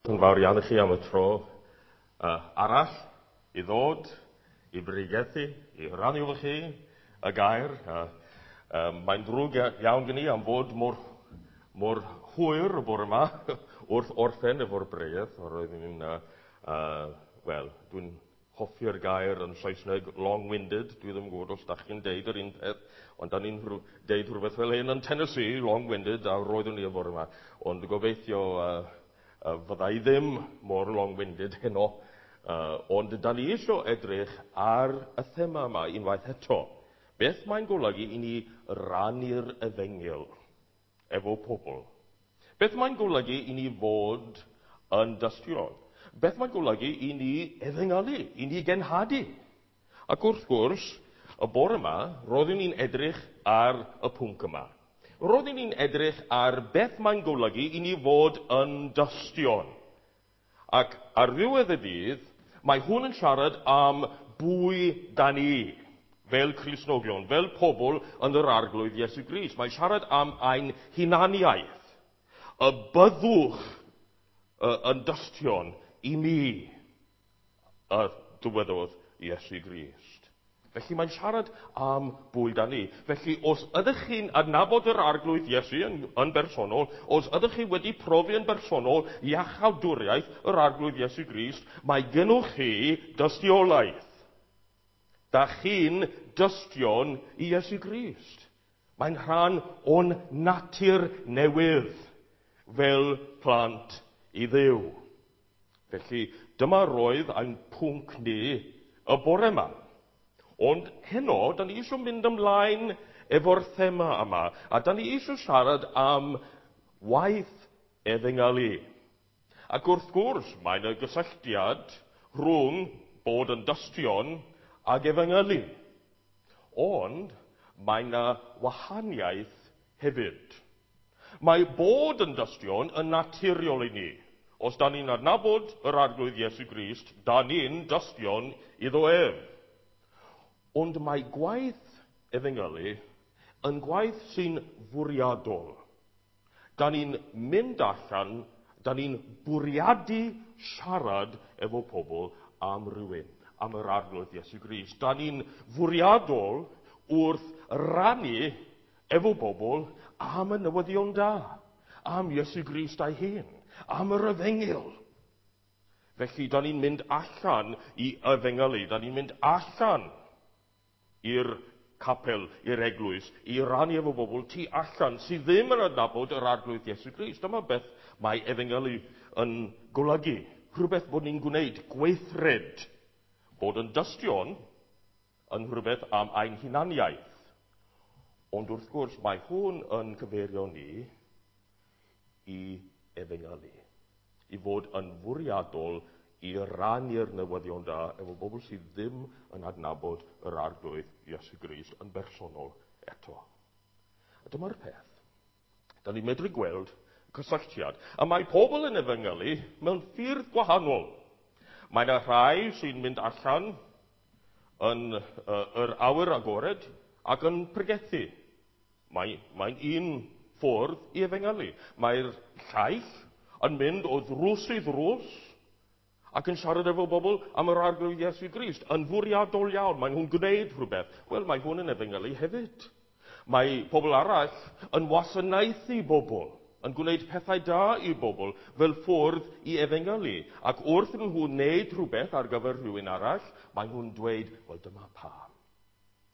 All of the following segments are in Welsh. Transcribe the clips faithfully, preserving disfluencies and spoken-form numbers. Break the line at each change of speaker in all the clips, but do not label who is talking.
Yn fawr iawn i chi am y tro uh, arall i ddod, i bregethu, i rannu efo chi y gair. Uh, uh, mae'n ddrwg iawn gen i am fod mor, mor hwyr y bore yma wrth orffen efo'r bregeth. Roeddwn i'n, uh, uh, wel, dwi'n hoffi'r gair yn Saesneg long-winded. Dwi ddim yn gwybod os da chi'n deud yr un peth, ond da ni'n deud rhywbeth fel hyn yn Tennessee, long-winded, a roeddwn i y bore yma. Ond gobeithio uh, Uh, fydda i ddim mor long-winded heno, uh, ond da ni eisiau edrych ar y thema yma unwaith eto. Beth mae'n golygu i ni rannu'r efengyl efo pobl? Beth mae'n golygu i ni fod yn dystion? Beth mae'n golygu i ni efengylu, i ni genhadu? Ac wrth gwrs, y bore yma, roeddwn ni'n edrych ar y pwnc yma. Roeddwn ni'n edrych ar beth mae'n golygu i ni fod yn dystion. Ac ar ddiwedd y dydd, mae hwn yn siarad am bwy da ni, fel Cristnogion, fel pobl yn yr Arglwydd Iesu Grist. Mae'n siarad am ein hunaniaeth. Y byddwch yn dystion i mi, y dywedodd Iesu Grist. Felly mae'n siarad am bwy da ni. Felly os ydych chi'n adnabod yr Arglwydd Iesu yn, yn bersonol, os ydych chi wedi profi yn bersonol iachawdwriaeth yr Arglwydd Iesu Grist, mae gennych chi dystiolaeth. Da chi'n dystion i Iesu Grist. Mae'n rhan o'n natur newydd fel plant i Dduw. Felly dyma roedd ein pwnc ni y bore yma. Ond heno, da ni eisiau mynd ymlaen efo'r thema yma, a da ni eisiau siarad am waith efengylu. Ac wrth gwrs, mae yna gysylltiad rhwng bod yn dystion ag efengylu. Ond mae yna wahaniaeth hefyd. Mae bod yn dystion yn naturiol i ni. Os da ni'n adnabod yr Arglwydd Iesu Grist, da ni'n dystion iddo ef. Ond mae gwaith efengylu yn gwaith sy'n fwriadol. Da ni'n mynd allan, da ni'n bwriadu siarad efo pobl am rywun, am yr Arglwydd Iesu Grist. Da ni'n fwriadol wrth rannu efo bobl am y newyddion da, am Iesu Grist ei hun, am yr efengyl. Felly, da ni'n mynd allan i efengylu, da ni'n mynd allan i'r capel, i'r eglwys, i rannu efo bobl tu allan sydd ddim yn adnabod yr Arglwydd Iesu Grist. Dyma beth mae efengylu yn golygu. Rhywbeth bod ni'n gwneud, gweithred. Bod yn dystion yn rhywbeth am ein hunaniaeth. Ond wrth gwrs, mae hwn yn cyfeirio ni i efengylu. I fod yn fwriadol i rannu'r newyddion da efo bobl sydd ddim yn adnabod yr Arglwydd Iesu Grist yn bersonol eto. A dyma'r peth. Da ni'n medru gweld cysylltiad. A mae pobl yn efengylu mewn ffyrdd gwahanol. Mae yna rhai sy'n mynd allan yn uh, yr awyr agored ac yn pregethu. Mae, mae'n un ffordd i efengylu. Mae'r llaill yn mynd o ddrws i ddrws ac yn siarad efo bobl am yr Arglwydd Iesu Grist, yn fwriadol iawn, mae nhw'n gwneud rhywbeth. Wel, mae hwn yn efengylu hefyd. Mae pobl arall yn wasanaethu bobl, yn gwneud pethau da i bobl fel ffordd i efengylu. Ac wrth nhw wneud rhywbeth ar gyfer rhywun arall, mae nhw'n dweud, wel, dyma pam.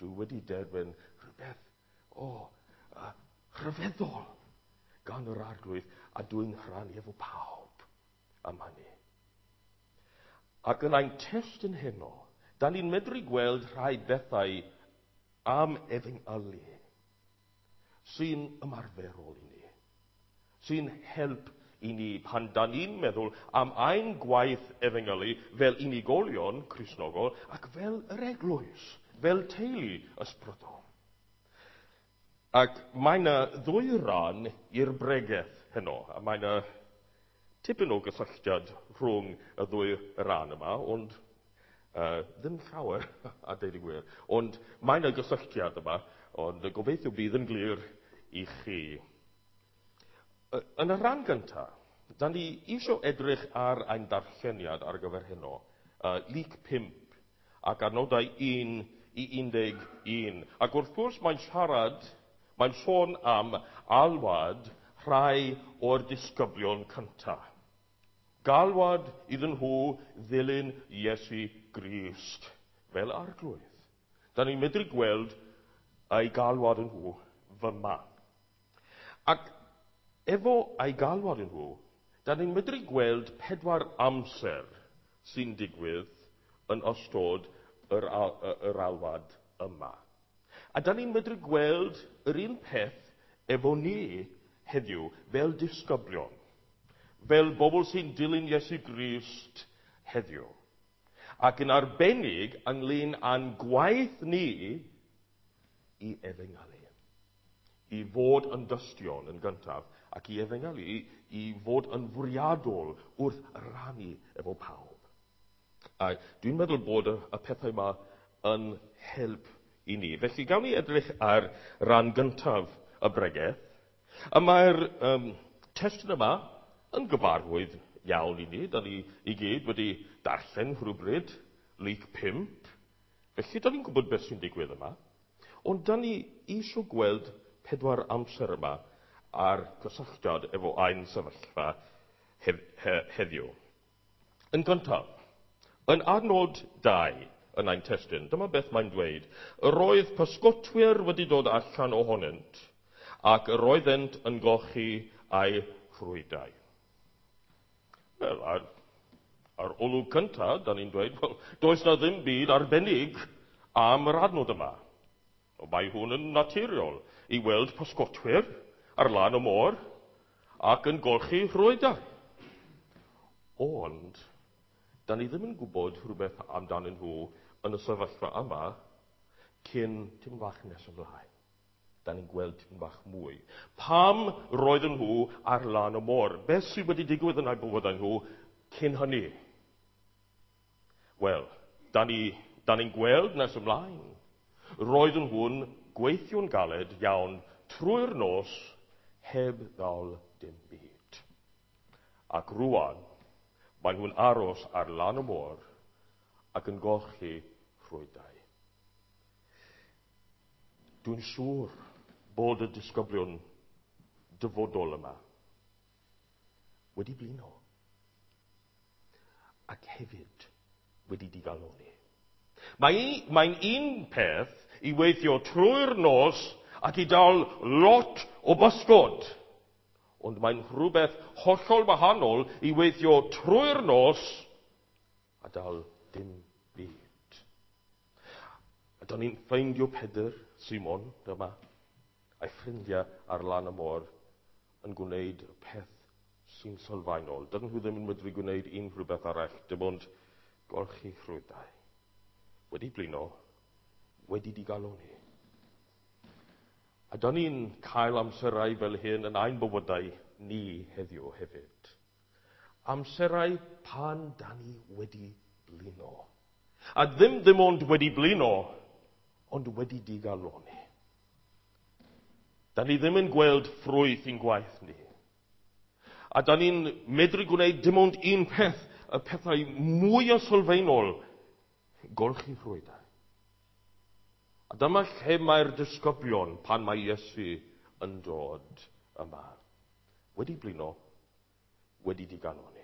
Dwi wedi derbyn rhywbeth, o, oh, uh, rhyfeddol gan yr Arglwydd, a dwi'n rhannu efo pawb am hynny. Ac yn ein testun heno, da ni'n medru gweld rhai bethau am efengylu sy'n ymarferol i ni, sy'n help i ni pan da ni'n meddwl am ein gwaith efengylu fel unigolion Cristnogol ac fel yr eglwys, fel teulu ysbrydol. Ac mae yna ddwy ran i'r bregeth heno, a mae yna tipyn o gysylltiad rhwng y ddwy ran yma, ond uh, ddim llawer, a deud y gwir. Ond mae yna gysylltiad yma, ond gobeithio bydd yn glir i chi. Yn y rhan gyntaf, da ni eisiau edrych ar ein darlleniad ar gyfer heno, uh, Luc pump ac adnodau un i un deg un. Ac wrth gwrs mae'n siarad, mae'n sôn am alwad rhai o'r disgyblion cyntaf. Galwad iddyn nhw ddilyn Iesu Grist fel arglwydd. Da ni'n medru gweld ei galwad yn nhw fyma. Ac efo ei galwad yn nhw, da ni'n medru gweld pedwar amser sy'n digwydd yn ystod yr, al yr alwad yma. A da ni'n medru gweld yr un peth efo ni heddiw fel disgyblion, fel bobl sy'n dilyn Iesu Grist heddiw. Ac yn arbennig ynglyn â'n gwaith ni i efengylu, i fod yn dystion yn gyntaf, ac i efengylu, i, i fod yn fwriadol wrth rannu efo pawb. A dwi'n meddwl bod y, y pethau yma yn help i ni. Felly gawn ni edrych ar ran gyntaf y bregeth. A mae'r um, testun yma yn gyfarwydd iawn i ni. Da ni i gyd wedi darllen rhywbryd Luc pump. Felly da ni'n gwybod beth sy'n digwydd yma. Ond da ni eisiau gweld pedwar amser yma a'r cysylltiad efo ein sefyllfa hef, he, heddiw. Yn gyntaf, yn adnod dau yn ein testun, dyma beth mae'n dweud. Yr oedd pysgotwyr wedi dod allan ohonynt, ac yr oeddent yn golchi eu rhwydau. Wel, ar, ar olwg cyntaf, da ni'n dweud, wel, does na ddim byd arbennig am yr adnod yma. O, mae hwn yn naturiol i weld pysgotwyr ar lan y môr ac yn golchi rhwydau. Ond, da ni ddim yn gwybod rhywbeth amdanyn nhw yn y sefyllfa yma cyn tipyn bach nes ymlaen. Da ni'n gweld tipyn bach mwy. Pam roedden nhw ar lan y môr? Beth sydd wedi digwydd yn eu bywydau nhw cyn hynny? Wel, da ni, da ni'n gweld nes ymlaen. Roedden nhw'n gweithio'n galed iawn trwy'r nos heb ddal dim byd. Ac rwan, maen nhw'n aros ar lan y môr ac yn golchi rhwydau. Dwi'n siŵr bod y disgyblion dyfodol yma wedi blino ac hefyd wedi digaloni. Mae, mae'n un peth i weithio trwy'r nos ac i dal lot o bysgod. Ond mae'n rhywbeth hollol wahanol i weithio trwy'r nos a dal dim byd. A da ni'n ffeindio Pedr, Simon, dyma, a'i ffrindiau ar lan y môr yn gwneud y peth sy'n sylfaenol. Dydyn nhw ddim yn medru gwneud unrhyw beth arall, dim ond golchi rhwydau. Wedi blino, wedi digaloni. A da ni'n cael amserau fel hyn yn ein bywydau ni heddiw hefyd. Amserau pan da ni wedi blino. A ddim ddim ond wedi blino, ond wedi digaloni. Da ni ddim yn gweld ffrwyth i'n gwaith ni. A da ni'n medru gwneud dim ond un peth, y pethau mwyaf sylfaenol, golchi rhwydau. A dyma lle mae'r disgyblion pan mae Iesu yn dod yma. Wedi blino, wedi digaloni.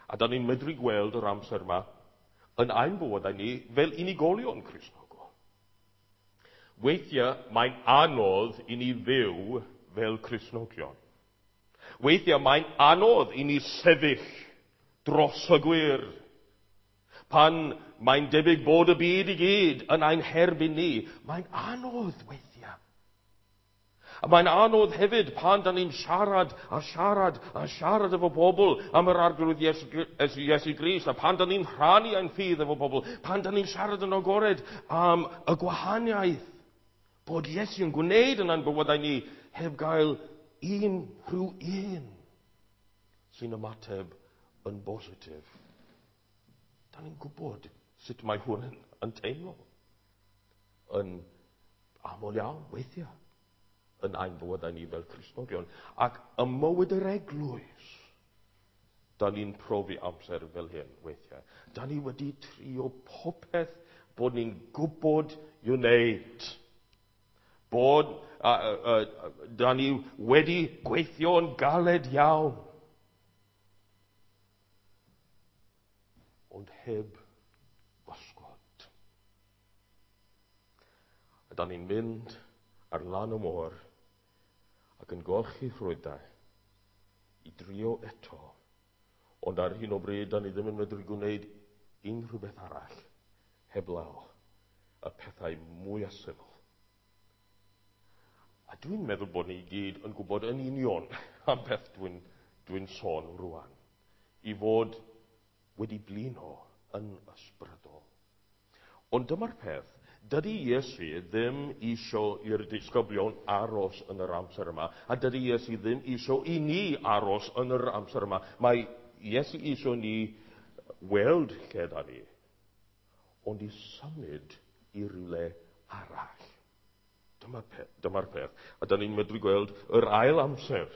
A da ni'n medru gweld yr amser yma yn ein bywydau ni fel unigolion Cristnogol. Weithiau mae'n anodd i ni fyw fel Cristnogion. Weithiau mae'n anodd i ni sefyll dros y gwir. Pan mae'n debyg bod y byd i gyd yn ein herbyn ni, mae'n anodd weithiau. A mae'n anodd hefyd pan da ni'n siarad a siarad a siarad efo pobl am yr Arglwydd Iesu, Iesu Grist, a pan da ni'n rhannu ein ffydd efo pobl, pan da ni'n siarad yn agored am y gwahaniaeth bod Iesu yn gwneud yn ein bywydau ni heb gael un rhyw un sy'n ymateb yn bositif. Da ni'n gwybod sut mae hwn yn, yn teimlo. Yn aml iawn, weithiau, yn ein bywydau ni fel Cristnogion. Ac ym mywyd yr eglwys, Da ni'n profi amser fel hyn weithiau. Da ni wedi trio popeth bod ni'n gwybod i'w wneud. Bod, uh, uh, da ni wedi gweithio'n galed iawn. Ond heb bysgod. A da ni'n mynd ar lan y môr ac yn golchi rhwydau i drio eto. Ond ar hyn o bryd, da ni ddim yn medru gwneud unrhyw beth arall heblaw y pethau mwyaf syml. A dwi'n meddwl bod ni i gyd yn gwybod yn union am beth dwi'n dwi sôn rwan. I fod wedi blino yn ysbrydol. Ond dyma'r peth, dydy Iesu ddim isio i'r disgyblion aros yn yr amser yma, a dydy Iesu ddim isio i ni aros yn yr amser yma. Mae Iesu isio ni weld lle da ni, ond i symud i rywle arall. Dyma'r peth, dyma'r peth. A da ni'n medru gweld yr ail amser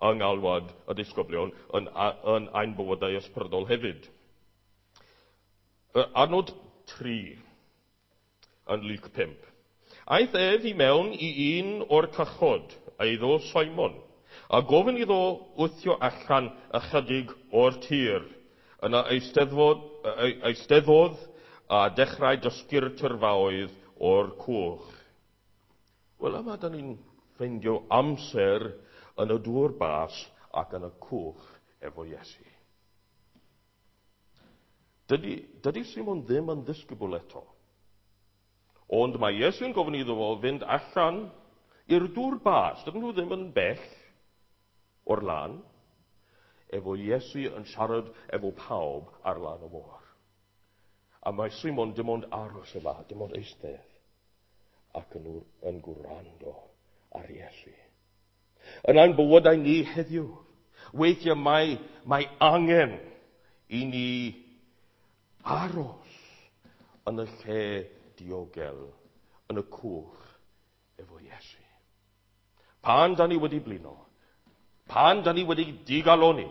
yng ngalwad y disgyblion yn, yn ein bywydau ysbrydol hefyd. Adnod tri yn Luc pump. Aeth ef i mewn i un o'r cychod, eiddo Simon, a gofyn iddo wthio allan ychydig o'r tir. Yna eisteddfod, eisteddodd a dechrau dysgu'r tyrfaoedd o'r cwch. Wel, yma da ni'n ffeindio amser yn y dŵr bas ac yn y cwch efo Iesu. Dydy, dydy Simon ddim yn ddisgybl eto. Ond mae Iesu'n gofyn iddo fo fynd allan i'r dŵr bas. Dydyn nhw ddim yn bell o'r lan. Efo Iesu yn siarad efo pawb ar lan y môr. A mae Simon dim ond aros yma, dim ond eistedd, ac yn, yn gwrando ar Iesu. Yn ein bywydau ni heddiw, weithiau mae, mae angen i ni aros yn y lle diogel, yn y cwch efo Iesu. Pan da ni wedi blino, pan da ni wedi digaloni,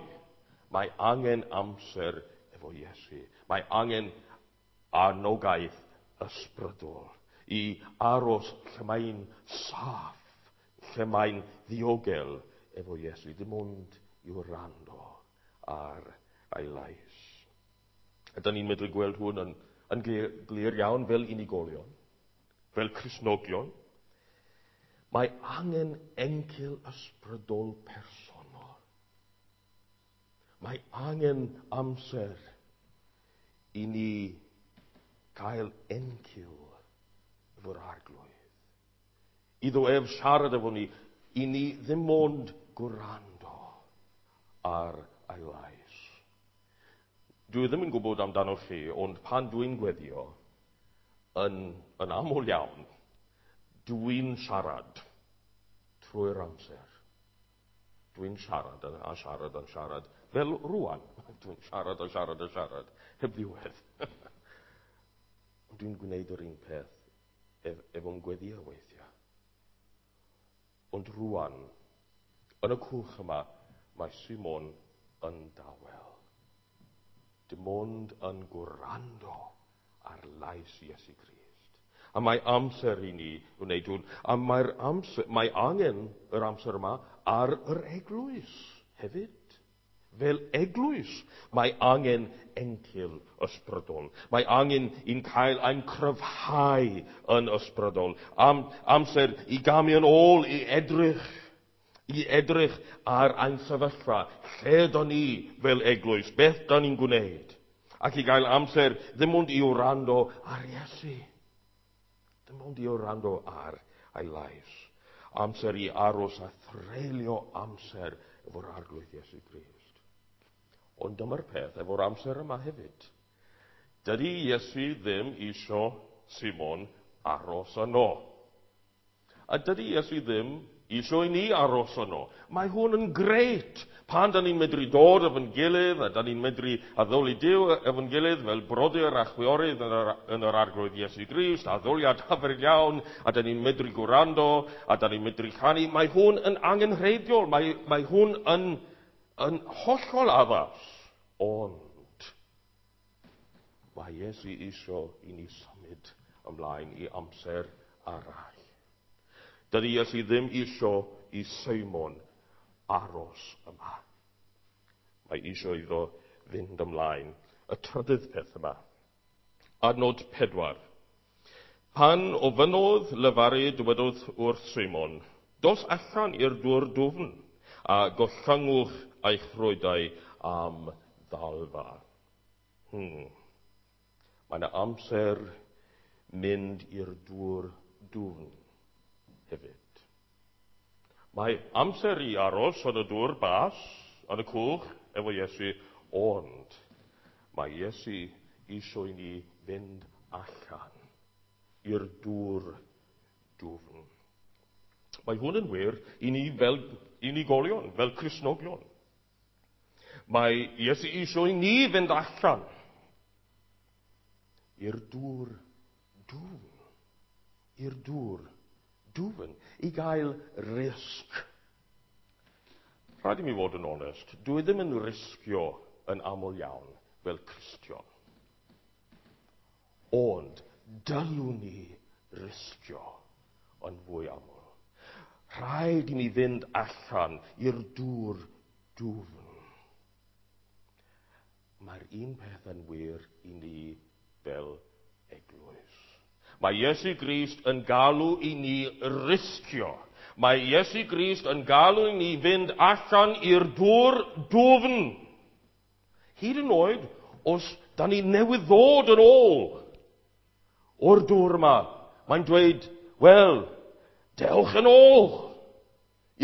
mae angen amser efo Iesu. Mae angen anogaeth ysbrydol i aros lle mae'n saff, lle mae'n ddiogel efo Iesu, dim ond i wrando ar ei lais. A da ni'n medru gweld hwn yn, yn glir, glir iawn fel unigolion, fel Cristnogion. Mae angen encil ysbrydol personol. Mae angen amser i ni gael encil efo'r Arglwydd. Iddo ef siarad efo ni, i ni ddim ond gwrando ar ei lais. Dwi ddim yn gwybod amdano chi, ond pan dwi'n gweddio, yn, yn aml iawn, dwi'n siarad trwy'r amser. Dwi'n siarad a siarad a siarad, fel rwan. Dwi'n siarad a siarad a siarad, heb ddiwedd. Ond dwi'n gwneud yr un peth ef, efo'n gweddio weithiau. Ond rwan, yn y cwch yma, mae Simon yn dawel. Dim ond yn gwrando ar lais Iesu Grist. A mae amser i ni wneud hwn. A mae'r amser, mae angen yr amser yma ar yr eglwys hefyd. Fel eglwys, mae angen encil ysbrydol. Mae angen i'n cael ein cryfhau yn ysbrydol. Am, amser i gamu yn ôl i edrych, i edrych ar ein sefyllfa. Lle da ni fel eglwys? Beth da ni'n gwneud? Ac i gael amser ddim ond i wrando ar Iesu. Ddim ond i wrando ar ei lais. Amser i aros a threulio amser efo'r Arglwydd Iesu Grist. Ond dyma'r peth efo'r amser yma hefyd. Dydy Iesu ddim isio Simon aros yno. A dydy Iesu ddim isio i ni aros yno. Mae hwn yn grêt. Pan da ni'n medru dod efo'n gilydd, a da ni'n medru addoli Duw efo'n gilydd fel brodyr a chwiorydd yn yr, yn yr Arglwydd Iesu Grist, addoliad hyfryd iawn, a da ni'n medru gwrando, a da ni'n medru canu. Mae hwn yn angenrheidiol. Mae, mae hwn yn, yn hollol addas, ond mae Iesu isio i ni symud ymlaen i amser arall. Dydy Iesu ddim isio i Simon aros yma. Mae isio iddo fynd ymlaen. Y trydydd peth yma. Adnod pedwar. Pan ofynnodd lefaru, dywedodd wrth Simon, dos allan i'r dŵr dwfn a gollyngwch eich rhwydau am ddalfa. Hmm. Mae yna amser mynd i'r dŵr dwfn hefyd. Mae amser i aros yn y dŵr bas, yn y cwch, efo Iesu, ond mae Iesu eisiau i ni fynd allan i'r dŵr dwfn. Mae hwn yn wir i ni fel unigolion, fel Cristnogion. Mae Iesu eisiau i ni fynd allan i'r dŵr dwfn, i'r dŵr dwfn, i gael risg. Rhaid i mi fod yn onest, dwi ddim yn risgio yn aml iawn fel Cristion. Ond dylwn ni risgio yn fwy aml. Rhaid i ni fynd allan i'r dŵr dwfn. Mae'r un peth yn wir i ni fel eglwys. Mae Iesu Grist yn galw i ni risgio. Mae Iesu Grist yn galw i ni fynd allan i'r dŵr dwfn. Hyd yn oed os da ni newydd ddod yn ôl o'r dŵr yma, mae'n dweud, wel, dewch yn ôl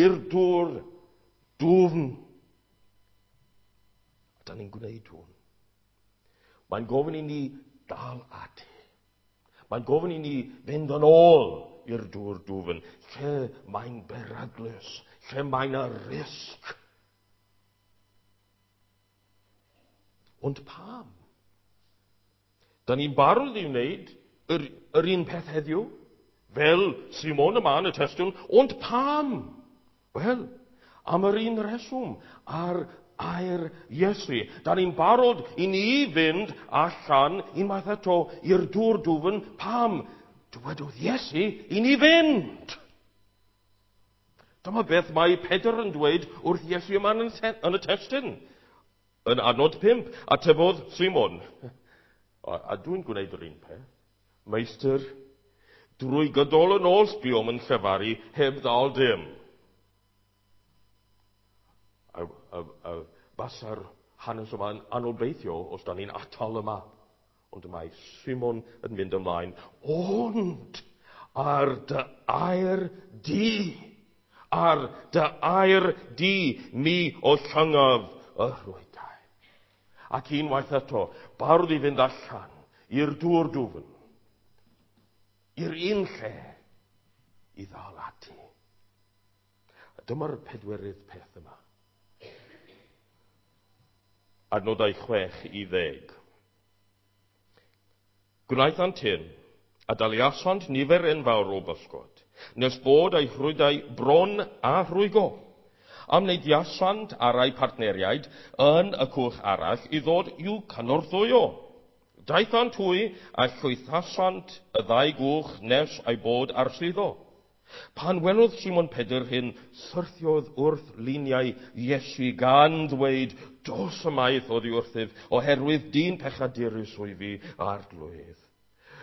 i'r dŵr dwfn. A da ni'n gwneud hwn. Mae'n gofyn i ni dal ati. Mae'n gofyn i ni fynd yn ôl i'r dŵr dwfn, lle mae'n beryglus, lle mae'n y risg. Ond pam? Da ni'n barod i wneud yr, yr un peth heddiw, fel Simon yma yn y testun, ond pam? Wel, am yr un reswm, ar air Iesu. Da ni'n barod i ni fynd allan unwaith eto i'r dŵr dwfn. Pam? Dywedodd Iesu i ni fynd. Dyma beth mae Pedr yn dweud wrth Iesu yma yn y testun. Yn adnod pump, atebodd Simon. A, a dwi'n gwneud yr un peth. Meistr, drwy gydol y nos buom yn llefaru heb ddal dim. A, a, a basa'r hanes yma'n anobeithio os da ni'n atal yma. Ond mae Simon yn mynd ymlaen. Ond ar dy air di, ar dy air di, mi o llangaf y rhwydau. Ac unwaith eto, barod i fynd allan i'r dŵr dwfn, i'r un lle i ddal ati. A dyma'r pedwerydd peth yma. Adnodau chwech i ddeg. Gwnaethant hyn, a daliasant nifer enfawr o bysgod, nes bod eu rhwydau bron a rhwygo. Amneidiasant ar eu partneriaid yn y cwch arall i ddod i'w cynorthwyo. Daethant hwy a llwythasant y ddau gwch nes ei bod ar suddo. Pan welodd Simon Pedr hyn, syrthiodd wrth liniau Iesu gan ddweud, dos ymaith oddi wrthyf, oherwydd dyn pechadurus wyf fi, Arglwydd.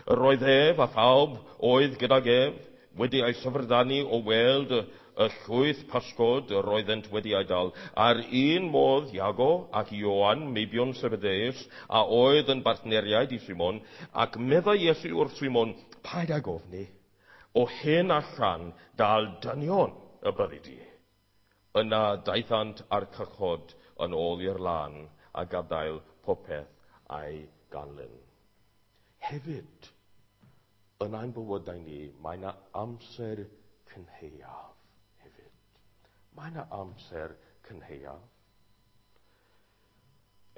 Yr oedd ef a phawb oedd gydag ef wedi ei syfrdanu o weld y, y llwyth pysgod yr oeddent wedi ei dal. A'r un modd Iago ac Ioan, meibion Zebedeus, a oedd yn bartneriaid i Simon, ac meddai Iesu wrth Simon, paid ag ofni, o hyn allan dal dynion y byddi di. Yna daethant â'r cychod yn ôl i'r lan a gadael popeth a'i ganlyn. Hefyd, yn ein bywydau ni, mae yna amser cynhaeaf hefyd. Mae yna amser cynhaeaf.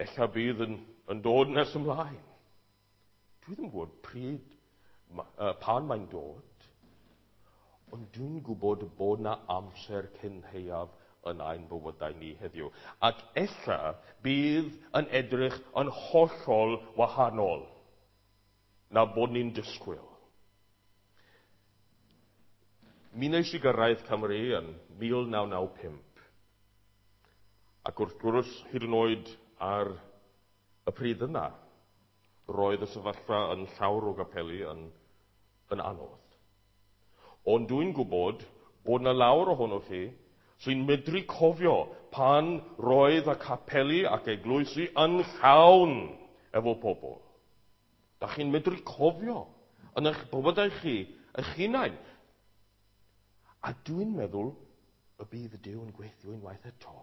Ella bydd yn, yn dod nes ymlaen. Dwi ddim yn gwybod pryd, uh, pan mae'n dod, ond dwi'n gwybod bod na amser cynhaeaf yn ein bywydau ni heddiw. Ac ella bydd yn edrych yn hollol wahanol na bod ni'n disgwyl. Mi wnes i gyrraedd Cymru yn mil naw naw pump. Ac wrth gwrs, hyd yn oed ar y pryd yna, roedd y sefyllfa yn llawer o gapeli yn, yn anodd. Ond dwi'n gwybod bod yna lawer ohonoch chi sy'n medru cofio pan roedd y capeli ac eglwysi yn llawn efo pobl. Da chi'n medru cofio yn eich bywydau chi, eich hunain. A dwi'n meddwl y bydd Duw yn gweithio unwaith eto,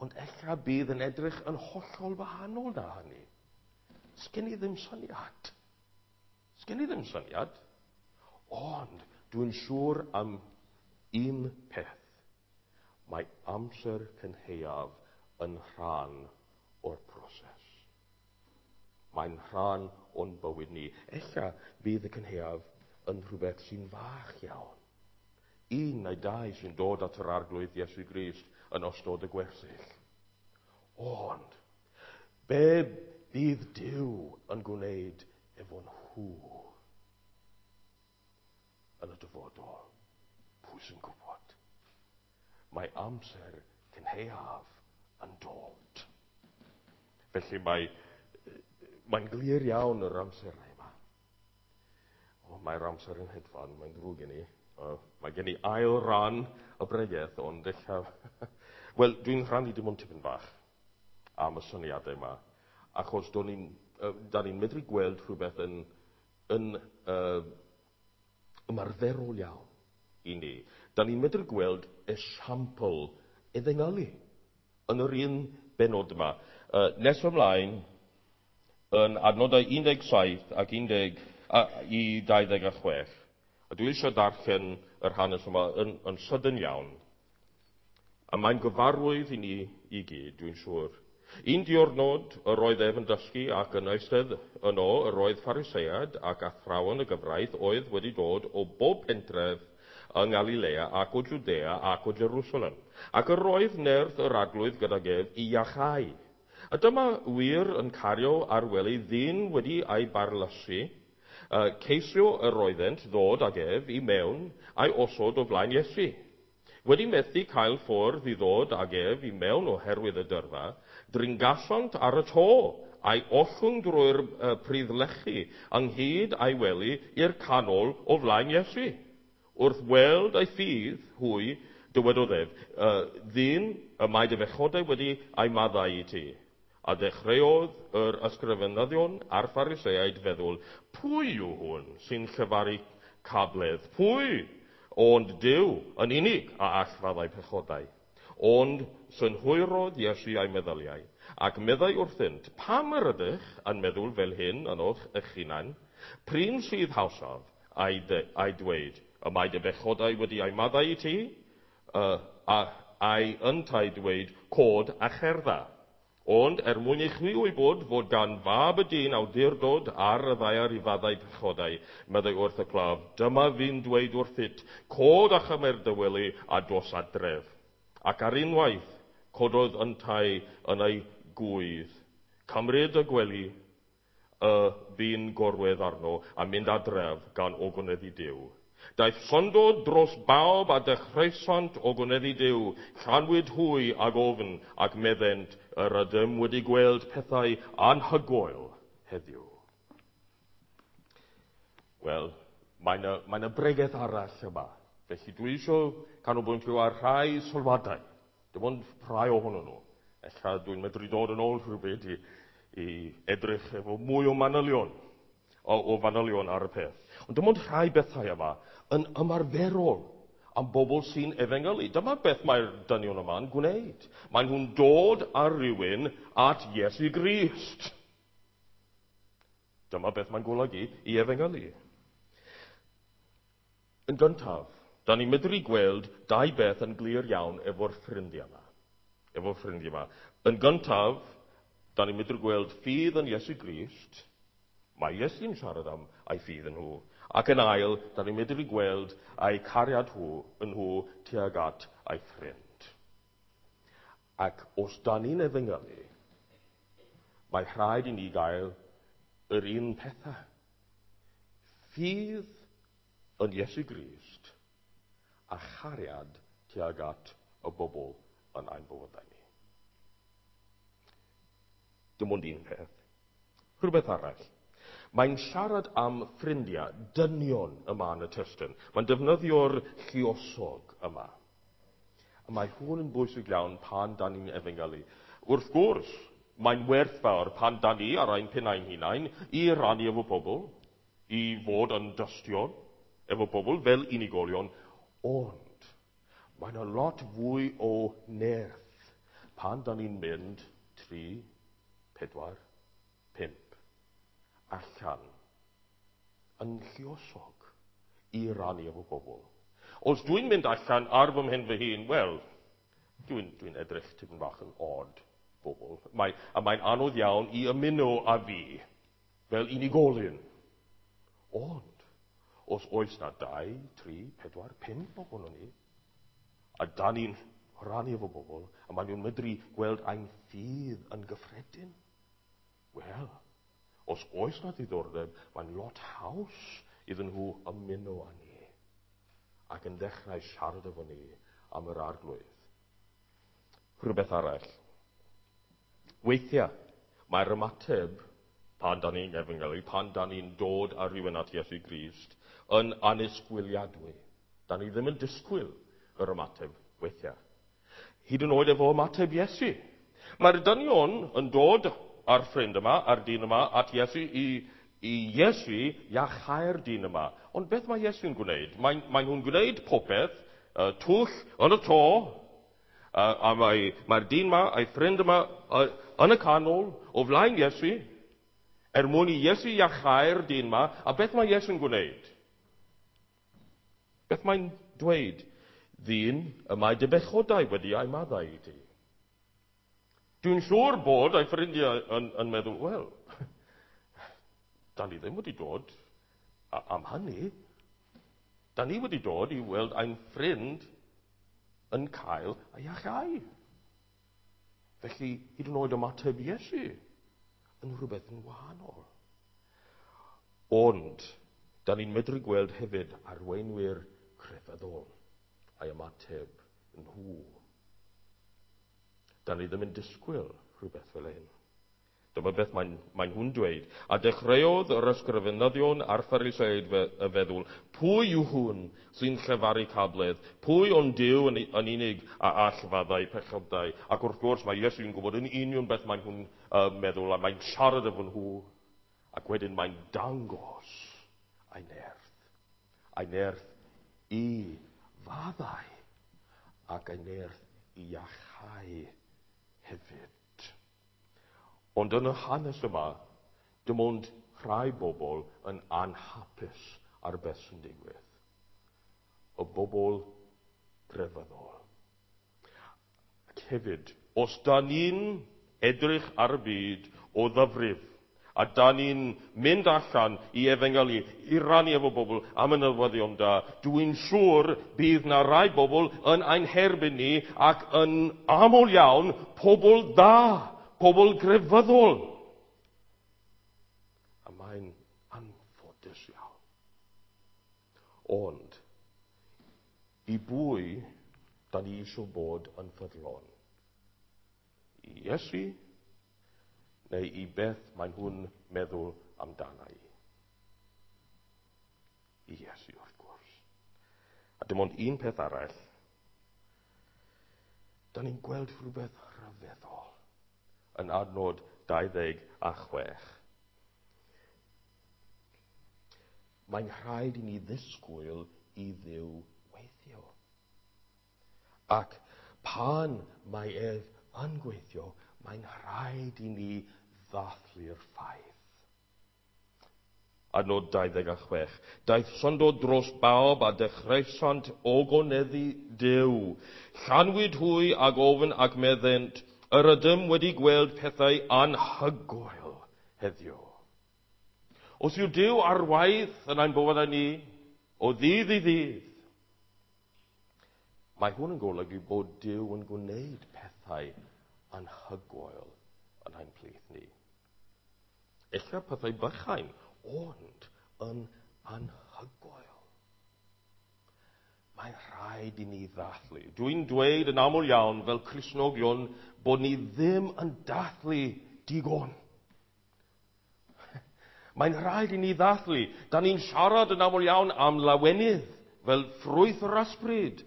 ond ella bydd yn edrych yn hollol wahanol na hynny. Sgen i ddim syniad. Sgen i ddim syniad. Ond dwi'n siŵr am un peth. Mae amser cynhaeaf yn rhan o'r proses. Mae'n rhan o'n bywyd ni. Ella bydd y cynhaeaf yn rhywbeth sy'n fach iawn. Un neu dau sy'n dod at yr Arglwydd Iesu Grist yn ystod y gwersyll. Ond, be bydd Duw yn gwneud efo nhw yn y dyfodol? Pwy sy'n gwybod? Mae amser cynhaeaf yn dod. Felly mae, mae'n glir iawn yr amserau yma. O, mae'r amser yn hedfan, mae'n ddrwg gen i. Uh, mae gen i ail ran y bregeth, ond ella... Wel, dwi'n rhannu dim ond tipyn bach am y syniadau yma, achos do'n i'n, uh, da ni'n medru gweld rhywbeth yn, yn uh, ymarferol iawn i ni. Da ni'n medru gweld esiampl efengylu yn yr un benod yma. Uh, nes ymlaen, yn adnodau un deg saith ac un deg i dau ddeg a chwech. A dwi eisiau darllen yr hanes yma yn, yn sydyn iawn. A mae'n gyfarwydd i ni i gyd, dwi'n siŵr. Un diwrnod yr oedd ef yn dysgu ac yn eistedd yno yr oedd Phariseaid ac athrawon y gyfraith oedd wedi dod o bob pentref yng Ngalilea ac o Jwdea ac o Jerusalem. Ac yr oedd nerth yr Arglwydd gydag ef i iachau. A dyma wir yn cario ar wely ddyn wedi ei barlysu. Uh, ceisio yr oeddent ddod ag ef i mewn a'i osod o flaen Iesu. Wedi methu cael ffordd i ddod ag ef i mewn oherwydd y dyrfa, dringasant ar y to a'i ollwng drwy'r uh, priddlechi ynghyd a'i wely i'r canol o flaen Iesu. Wrth weld ei ffydd hwy, dywedodd ef, uh, ddyn y mae dy fechodau wedi ei maddau i ti. A dechreuodd yr ysgrifenyddion a'r Phariseaid feddwl, pwy yw hwn sy'n llefaru cabledd? Pwy? Ond Duw yn unig a all faddau pechodau. Ond synhwyrodd Iesu ei meddyliau, ac meddai wrthynt, pam yr ydych yn meddwl fel hyn yn o'ch eich hunain? Prin sydd hawsaf a'i, de, a'i dweud, y mae dy bechodau wedi ei maddau i ti, uh, a, a'i yntau dweud, cod a cherdda. Ond er mwyn i chwi wybod fod gan fab y dyn awdurdod ar y ddaear i faddau pechodau, meddai wrth y claf, dyma fi'n dweud wrthyt, cod a chymer dy wely a dos adref. Ac ar unwaith, cododd yntau yn ei gwydd, cymryd y gwely y bu'n gorwedd arno a mynd adref gan ogoneddu Duw. Daeth syndod dros bawb a dechreusant ogoneddu Duw, llanwyd hwy ag ofn ac meddent, yr ydym wedi gweld pethau anhygoel heddiw. Wel, mae yna, mae yna bregeth arall yma. Felly dwi eisiau canolbwyntio ar rhai sylwadau. Dim ond rhai ohonyn nhw. Ella dwi'n medru dod yn ôl rhywbryd i, i edrych efo mwy o manylion, o, o fanylion ar y peth. Ond dim ond rhai bethau yma yn ymarferol am bobl sy'n efengylu. Dyma beth mae'r dynion yma'n gwneud. Maen nhw'n dod ar rywun at Iesu Grist. Dyma beth mae'n golygu i efengylu. Yn gyntaf, da ni'n medru gweld dau beth yn glir iawn efo'r ffrindiau yma. Efo'r ffrindiau yma. Yn gyntaf, da ni'n medru gweld ffydd yn Iesu Grist. Mae Iesu'n siarad am ei ffydd yn nhw. Ac yn ail, da ni'n medru gweld ei cariad nhw yn nhw tuag at ei ffrind. Ac os da ni'n efengylu, mae rhaid i ni gael yr un pethau. Ffydd yn Iesu Grist a chariad tuag at y bobl yn ein bywydau ni. Dim ond un peth. Rhywbeth arall. Mae'n siarad am ffrindiau, dynion yma yn y testun. Mae'n defnyddio'r lluosog yma. A mae hwn yn bwysig iawn pan dan ni'n efengylu. Wrth gwrs, mae'n werthfawr pan dan ni ar ein pennau'n hunain i rannu efo pobl, i fod yn dystion efo pobl fel unigolion, ond mae'n a lot fwy o nerth pan dan ni'n mynd tri, pedwar, pump allan yn lluosog i rannu efo pobl. Os dwi'n mynd allan ar fy mhen fy hun, wel, dwi'n dwi edrych tipyn bach yn odd bobl. Mae, a mae'n anodd iawn i ymuno â fi fel unigolyn. Ond, os oes na dau, tri, pedwar, pump ohonon ni, a da ni'n rhannu efo bobl, a maen nhw'n medru gweld ein ffydd yn gyffredin, wel, os oes na ddiddordeb, mae'n lot haws iddyn nhw ymuno â ni ac yn dechrau siarad efo ni am yr Arglwydd. Rhywbeth arall. Weithiau, mae'r ymateb pan da ni'n efengylu, pan da ni'n dod â rhywun at Iesu Grist, yn annisgwyliadwy. Da ni ddim yn disgwyl yr ymateb weithiau. Hyd yn oed efo ymateb Iesu. Mae'r dynion yn dod â'r ffrind yma, a'r dyn yma, at Iesu i, i Iesu iachau'r dyn yma. Ond beth mae Iesu'n gwneud? Mae, mae nhw'n gwneud popeth, uh, twll yn y to, uh, a mae, mae'r dyn yma a'i ffrind yma uh, yn y canol, o flaen Iesu, er mwyn i Iesu iachau'r dyn yma, a beth mae Iesu'n gwneud? Beth mae'n dweud? Ddyn, y mae dy bechodau wedi ei maddau i ti. Dwi'n siŵr bod ei ffrindiau yn, yn meddwl, wel, da ni ddim wedi dod am hynny. Da ni wedi dod i weld ein ffrind yn cael ei iachau. Felly, hyd yn oed ymateb Iesu yn rhywbeth yn wahanol. Ond, da ni'n medru gweld hefyd arweinwyr crefyddol a'i ymateb nhw. Da ni ddim yn disgwyl rhywbeth fel hyn. Dyma beth mae'n mae nhw'n dweud. A dechreuodd yr ysgrifenyddion a'r Phariseaid fe, y feddwl, pwy yw hwn sy'n llefaru cabledd? Pwy ond Duw yn, yn unig a all faddau pechodau? Ac wrth gwrs mae Iesu'n gwybod yn union beth mae'n nhw'n uh, meddwl, a mae'n siarad efo nhw. Ac wedyn mae'n dangos ei nerth. Ei nerth i faddau ac ei nerth i iachau hefyd. Ond yn y hanes yma, dim ond rhai bobl yn anhapus ar beth sy'n digwydd. Y bobl grefyddol. Ac hefyd, os da ni'n edrych ar y byd o ddyfrif, a da ni'n mynd allan i efengylu, i rannu efo bobl am y newyddion da, dwi'n siŵr bydd na rai bobl yn ein herbyn ni ac yn aml iawn pobl dda, pobl grefyddol. A mae'n anffodus iawn. Ond, i bwy da ni eisiau bod yn ffyddlon? I Iesu neu i beth mae nhw'n meddwl amdana i? I Iesu, wrth gwrs. A dim ond un peth arall. Da ni'n gweld rhywbeth rhyfeddol yn adnod dau ddeg a chwech. Mae'n rhaid i ni ddisgwyl i Dduw weithio. Ac pan mae ef yn gweithio, mae'n rhaid i ni ddathlu'r ffaith. Adnod dau ddeg a chwech. Daeth syndod dros bawb a dechreusant ogoneddu Duw. Llanwyd hwy ag ofn ac meddent, yr ydym wedi gweld pethau anhygoel heddiw. Os yw Duw ar waith yn ein bywydau ni, o ddydd i ddydd, mae hwn yn golygu bod Duw yn gwneud pethau pethau anhygoel yn ein plith ni. Ella pethau bychain, ond yn anhygoel. Mae'n rhaid i ni ddathlu. Dwi'n dweud yn aml iawn fel Cristnogion bod ni ddim yn dathlu digon. Mae'n rhaid i ni ddathlu. Da ni'n siarad yn aml iawn am lawenydd fel ffrwyth yr ysbryd.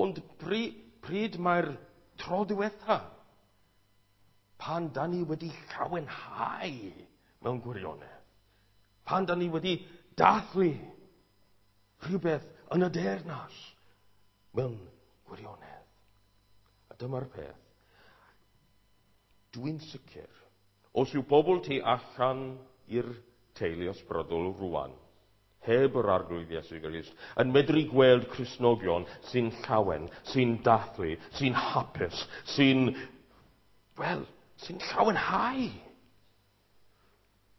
Ond pryd, pryd mae'r tro diwetha? Pan da ni wedi llawenhau mewn gwirionedd. Pan da ni wedi dathlu rhywbeth yn y deyrnas mewn gwirionedd. A dyma'r peth. Dwi'n sicr, os yw pobl tu allan i'r teulu ysbrydol rwan, heb yr Arglwydd Iesu Grist, yn medru gweld Cristnogion sy'n llawen, sy'n dathlu, sy'n hapus, sy'n, wel, sy'n llawenhau.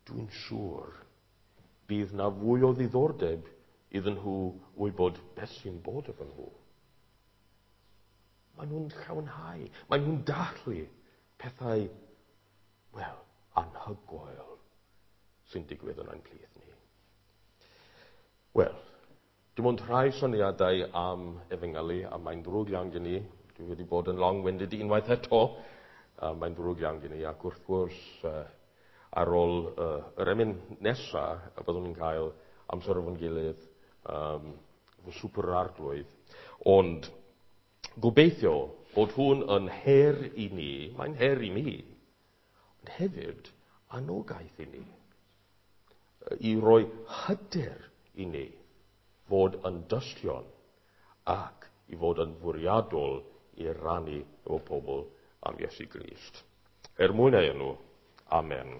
Dwi'n siŵr bydd na fwy o ddiddordeb iddyn nhw wybod beth sy'n bod efo nhw. Maen nhw'n llawenhau, maen nhw'n dathlu pethau, wel, anhygoel sy'n digwydd yn ein plith ni. Wel, dim ond rhai syniadau am efengylu, a mae'n ddrwg iawn gen i. Dwi wedi bod yn long-winded unwaith eto. A mae'n ddrwg iawn gen i, ac wrth gwrs, uh, ar ôl uh, yr emyn nesaf, y byddwn ni'n cael amser efo'n gilydd, um, efo swper yr Arglwydd. Ond gobeithio bod hwn yn her i ni, mae'n her i mi, ond hefyd anogaeth i ni, i roi hyder i ni fod yn dystion ac i fod yn fwriadol i rannu efo pobl am Iesu Grist. Er mwyn ei enw, amen.